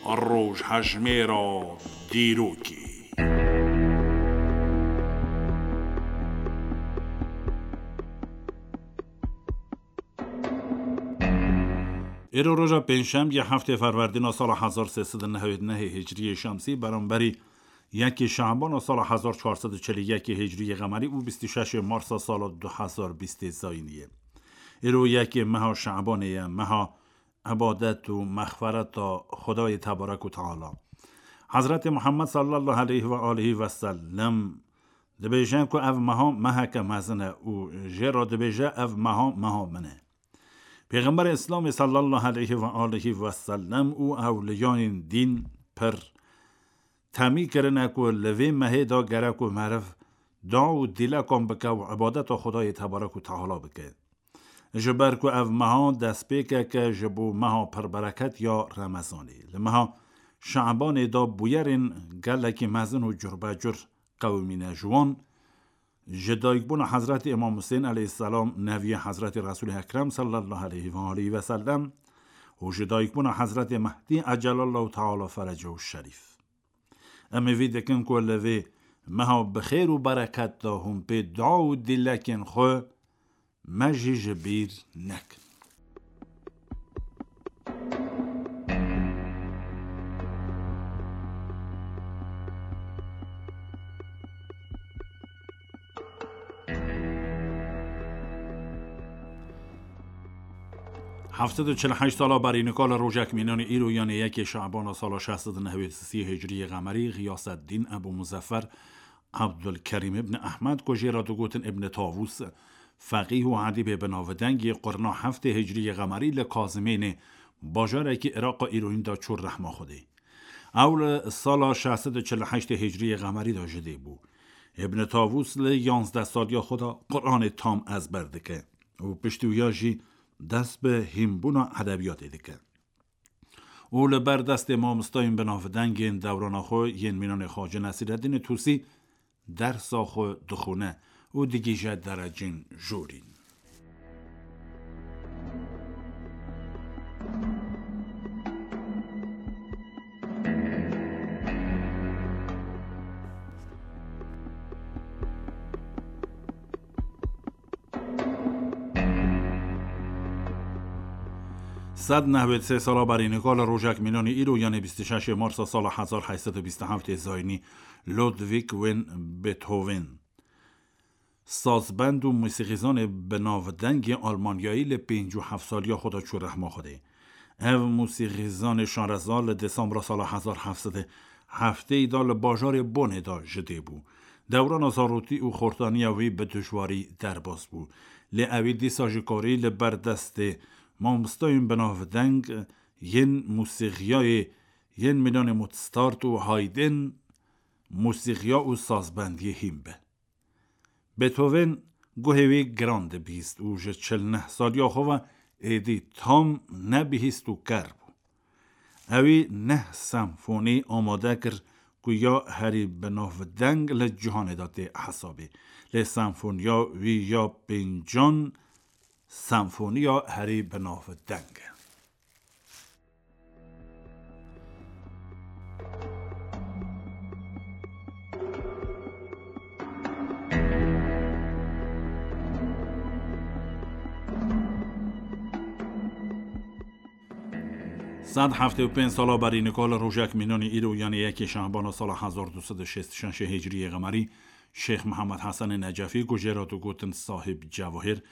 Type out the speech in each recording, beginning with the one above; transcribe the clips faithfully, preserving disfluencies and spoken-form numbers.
Rojhejmêra dîrokê. Îro roja pêncşemiyê, heftê Ferwerdîna sala hezar sê sed û newid û nehê Hicriyê Şemsî, beramberî yekê Şabana sala hezar çar sed û çil û yekê Hicriyê Qemerî û bîst û şeşê Marsa sala du hezar bîstê Zayîniyê. Îro yekê meha Şabanê ye, meha îbadet û mexfereta Xwedayê Tebarek û Teala. Hezretê Muhammed sallallahu aleyhi ve aleyhi ve sellem dibêje ku ev meha meheke mezin e û jê re dibêje, ev meha, meha min e. Pêxemberê Îslamê sallallahu aleyhi ve aleyhi ve sellem û ewliyayên dîn pir temî kirine ku li vê mehê de gerek û meriv dua û dîlekan bike û îbadeta Xwedayê Tebarek û Teala bike. Ji ber ku ev meha destpêkeke ji bo meha pirbereket ya Remezanê. Li meha Şabanê de bûyerên gelekî mezin û curbecur qewimîne ji wan, ji dayikbûna Hezretî Îmam Husên aleyhisselam, neviyê Hezretî Resûlê Ekrem sallallahu aleyhi ve aleyhi ve sellem û ji dayikbûna Hezretê Mehdî ecelallahu teala ferecehu şerîf. Em ê vî dikin ku li vê meha bi xêr û bereket de hûn pê dua û dilekên xwe me jî ji bîr nekin. Heft sed û çil û heşt sala berî nika li rojek mînanê îro, yanê yekê Şabana sala şeş sed û newêd û sê Hicriyê Qemerî, Xiyaseddîn Ebû Muzeffer Ebdulkerîm ibn Ehmed, ku jê re digotin Ibn Tavûs, feqîh û edîbê binavdeng yê qurna heftê Hicriyê Qemerî li Kazimênê, bajarekî Îraqa îroyîn de çû rehma Xwedê. Ew li sala şeş sed û çil û heştê Hicriyê Qemerî de ji dê bû. Ibn Tavûs li yanzdeh saliya xwe de Quranê tam ezber dike û piştî wiya jî dest bi hînbûna edebiyatê dike. Û li ber destê mamostayên binavdeng yên dewrana xwe yên mînanê Xacê Nesîreddînê Tûsî dersa xwe dixwîne û digihîje derecên jorîn. Sed nehwêd sê sala berî nika li rojek mînanê îro, yanê bîst û şeşê Marsa sala hezar heyt sed û bîst û heftê Zayînî, Ludwig van Beethoven, sazbend û musîxîzanê binavdengê Almanyayî, li pêncî û heft saliya xwe de çû rehma Xwedê. Ev musîxîzanê şareza li Desembra sala hezar heft sed û heftê de li bajarê Bonê de ji dê bû. Dewrana zarokî û xortaniya wî bi dijwarî derbas bû. Lê ewî dîsa jî karî li ber destê mamostayên binavdeng yên musîxiyayê yên mînanê Mozart û Haydn musîxiya û sazbendiyê hîn be. Beethoven guhê wî giran dibihîst û ji çil neh saliya xwe ve êdî tam nebihîst û ker bû. Ewî neh senfonî amade kir ku ya herî binavdeng li cîhanê de tê hesabê. Lê senfoniya wî ya pêncan senfoniya herî binavdeng e. Sed heftê û pênc sala berî nika li rojek mînanî îro, yanî yekê Şehbana sala hezar du sed û şêst û şeş Hicriyê Qemerî, Şêx Mihemed Hesenê Necefî, ku jê re digotin Sahib Cewahir,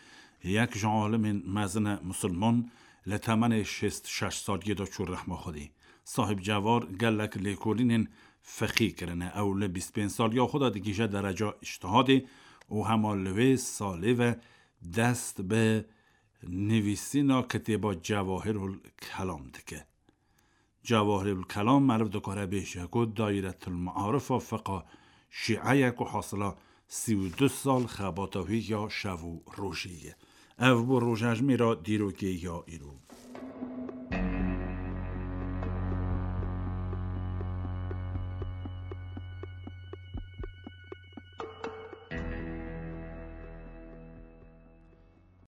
yek ji alimên mezin e misilman, li temenê şêst û şeş saliyê de çû rehma Xwedê. Sahib Cewahir gelek lêkolînên fiqhî kirine. Ew li bîst pênc saliya xwe de digihîje dereca îctihadê û hema li wê salê ve dest bi nivîsîna kitêba Cewahirul Kelam dike. Cewahirul Kelam meriv dikare bêje ku dayîretul maarifa fiqa şîe ye ku hasila sî û du sal xebata wî ya şev û rojê ye. Ev bû rojejmêra dîrokê ya îro.